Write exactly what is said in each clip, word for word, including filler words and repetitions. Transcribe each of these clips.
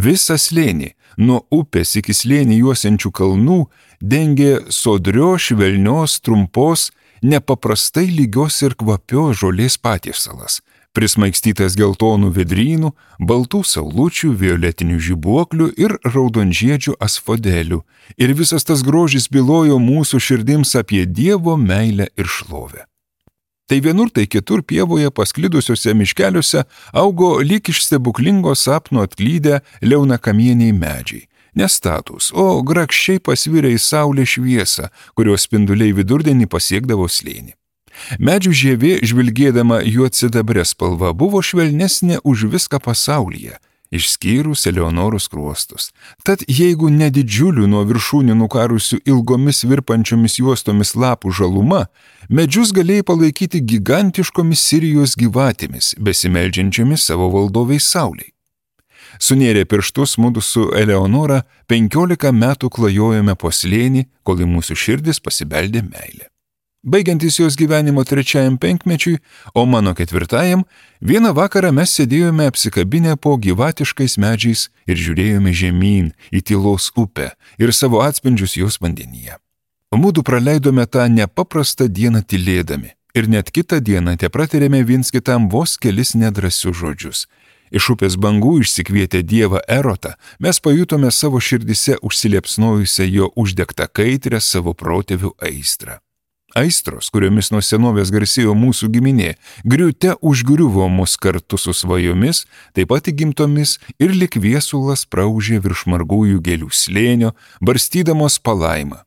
Visą slėnį, nuo upės iki slėnį juosiančių kalnų, dengė sodrio, švelnios, trumpos, nepaprastai lygios ir kvapios žolės patiesalas, prismaigstytas geltonų vedrynų, baltų saulučių, violetinių žibuoklių ir raudonžiedžių asfodelių. Ir visas tas grožis bylojo mūsų širdims apie Dievo meilę ir šlovę. Tai vienur, tai kitur pievoje pasklidusiuose miškeliuose augo lyg iš stebuklingo sapno atklydę liaunakamieniai medžiai. Nestatūs, o grakščiai pasvirę į saulę šviesą, kurios spinduliai vidurdienį pasiekdavo slėnį. Medžių žievė, žvilgėdama juodsidabrė spalva, buvo švelnesnė už viską pasaulyje, išskyrus Eleonoros skruostus. Tad jeigu ne didžiulių nuo viršūnių nukarusių ilgomis virpančiomis juostomis lapų žaluma, medžius galėjai palaikyti gigantiškomis Sirijos gyvatėmis, besimeldžiančiomis savo valdoviai saulei. Sunėrė pirštus mudu su Eleonora penkiolika metų klajojome po slėnį, kol į mūsų širdis pasibeldė meilė. Baigiantis jos gyvenimo trečiajam penkmečiui, o mano ketvirtajam, vieną vakarą mes sėdėjome apsikabinę po gyvatiškais medžiais ir žiūrėjome žemyn į tylos upę ir savo atspindžius jos vandenyje. Mudu praleidome tą nepaprastą dieną tylėdami ir net kitą dieną tepratarėme viens kitam vos kelis nedrąsius žodžius. Iš upės bangų išsikvietę dievą Erotą, mes pajutome savo širdise užsiliepsnojusią jo uždegtą kaitrę savo protėvių aistrą. Aistros, kuriomis nuo senovės garsėjo mūsų giminė, griūte užgriuvo mus kartu su svajomis, taip pat įgimtomis ir lyg viesulas praužė virš margųjų gėlių slėnio, barstydamos palaimą.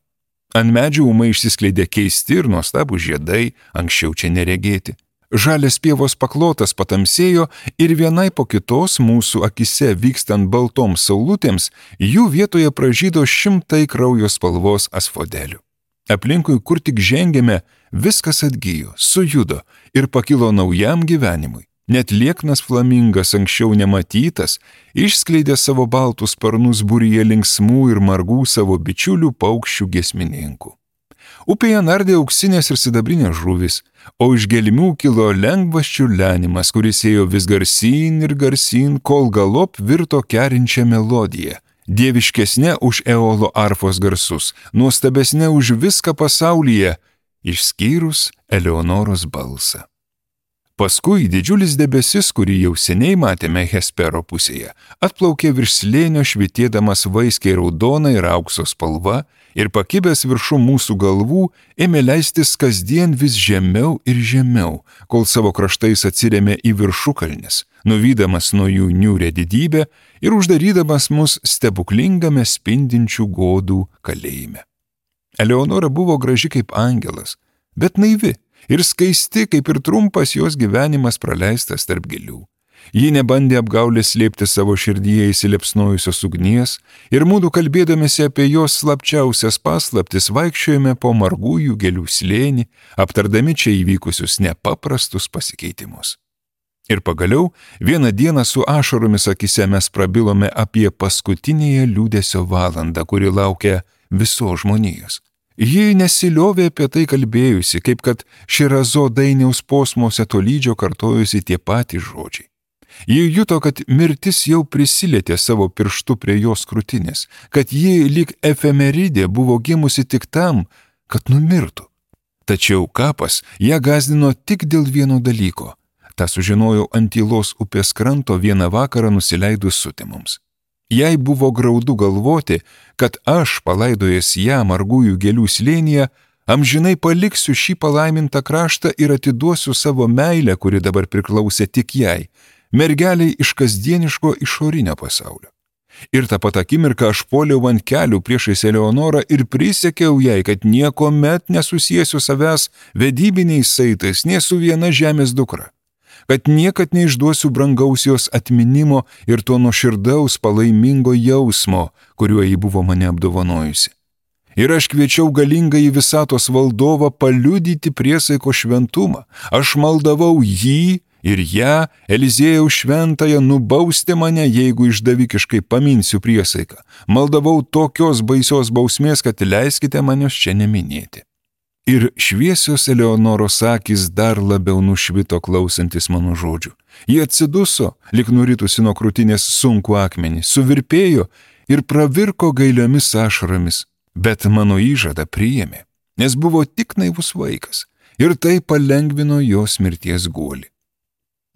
Ant medžių ūmai išsiskleidė keisti ir nuostabų žiedai, anksčiau čia neregėti. Žalias pievos paklotas patamsėjo ir vienai po kitos mūsų akise vykstant baltoms saulutėms, jų vietoje pražydo šimtai kraujo spalvos asfodelių. Aplinkui, kur tik žengėme, viskas atgijo, sujudo ir pakilo naujam gyvenimui. Net lieknas flamingas, anksčiau nematytas, išskleidė savo baltus sparnus būryje linksmų ir margų savo bičiulių paukščių giesmininkų. Upėje nardė auksinės ir sidabrinės žuvis, o iš gelmių kilo lengvas čiurlenimas, kuris ėjo vis garsyn ir garsyn, kol galop virto kerinčią melodiją. Dieviškesnė už Eolo arfos garsus, nuostabesnė už viską pasaulyje, išskyrus Eleonoros balsą. Paskui didžiulis debesis, kurį jau seniai matėme Hespero pusėje, atplaukė virš slėnio švitėdamas vaiskiai raudona ir aukso spalva ir pakibęs viršų mūsų galvų ėmė leistis kasdien vis žemiau ir žemiau, kol savo kraštais atsirėmė į viršukalnes, nuvydamas nuo jų niūrę didybę ir uždarydamas mus stebuklingame spindinčių godų kalėjime. Eleonora buvo graži kaip angelas, bet naivi ir skaisti, kaip ir trumpas jos gyvenimas praleistas tarp gėlių. Ji nebandė apgaulės slėpti savo širdyje įsiliepsnojusios ugnies ir mūdu kalbėdamėsi apie jos slapčiausias paslaptis vaikščiojame po margųjų gėlių slėnį, aptardami čia įvykusius nepaprastus pasikeitimus. Ir pagaliau vieną dieną su ašaromis akise mes prabilome apie paskutinėje liūdesio valandą, kuri laukia visos žmonijos. Ji nesiliovė apie tai kalbėjusi, kaip kad Širazo dainiaus posmuose tolydžio kartojusi tie patys žodžiai. Ji juto, kad mirtis jau prisilietė savo pirštu prie jos krūtinės, kad ji lyg efemeridė buvo gimusi tik tam, kad numirtų. Tačiau kapas ją gąsdino tik dėl vieno dalyko. Ta sužinojau ant tylos upės kranto vieną vakarą nusileidus sutemoms. Jai buvo graudu galvoti, kad aš, palaidojęs ją margųjų gėlių slėnyje, amžinai paliksiu šį palaimintą kraštą ir atiduosiu savo meilę, kuri dabar priklausė tik jai, mergeliai iš kasdieniško išorinio pasaulio. Ir tą pat akimirką aš puoliau ant kelių priešais Eleonorą ir prisiekiau jai, kad niekuomet nesusiesiu savęs vedybiniais saitais nė su viena žemės dukra, kad niekad neišduosiu brangaus jos atminimo ir to nuoširdaus palaimingo jausmo, kuriuo ji buvo mane apdovanojusi. Ir aš kviečiau galingąjį visatos valdovą paliudyti priesaiko šventumą. Aš maldavau jį ir ją, Eliziejaus šventąją, nubausti mane, jeigu išdavikiškai paminsiu priesaiką. Maldavau tokios baisios bausmės, kad leiskite manios čia neminėti. Ir šviesios Eleonoros akys dar labiau nušvito klausantis mano žodžių. Jie atsiduso, lyg nuritusi nuo krūtinės sunkų akmenį, suvirpėjo ir pravirko gailiomis ašaromis, bet mano įžadą priėmė, nes buvo tik naivus vaikas ir tai palengvino jos mirties guolį.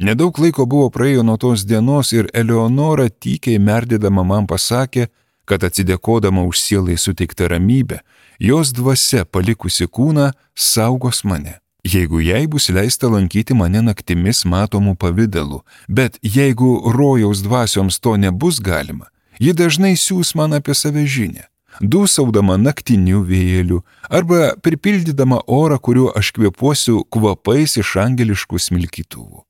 Nedaug laiko buvo praėjo nuo tos dienos ir Eleonora tykiai merdėdama man pasakė, kad atsidėkodama už sielai suteiktą ramybę, jos dvasia palikusi kūną saugos mane, jeigu jai bus leista lankyti mane naktimis matomų pavidalų, bet jeigu rojaus dvasioms to nebus galima, ji dažnai siūs man apie save žinią, dūsaudama naktiniu vėjeliu arba pripildydama orą, kuriuo aš kvėpuosiu kvapais iš angeliškų smilkytuvų.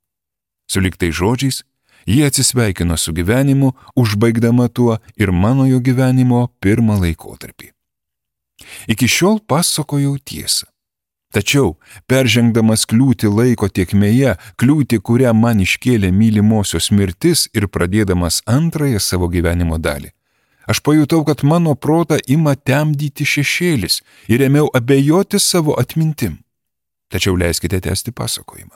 Suliktai žodžiais, jie atsisveikino su gyvenimu, užbaigdama tuo ir mano jo gyvenimo pirmą laikotarpį. Iki šiol pasakojau tiesą. Tačiau, peržengdamas kliūtį laiko tėkmėje, kliūtį, kurią man iškėlė mylimosios mirtis ir pradėdamas antrąją savo gyvenimo dalį, aš pajutau, kad mano protą ima temdyti šešėlis ir ėmiau abejoti savo atmintim. Tačiau leiskite tęsti pasakojimą.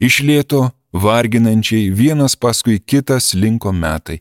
Iš lėto, varginančiai, vienas paskui kitą slinko metai,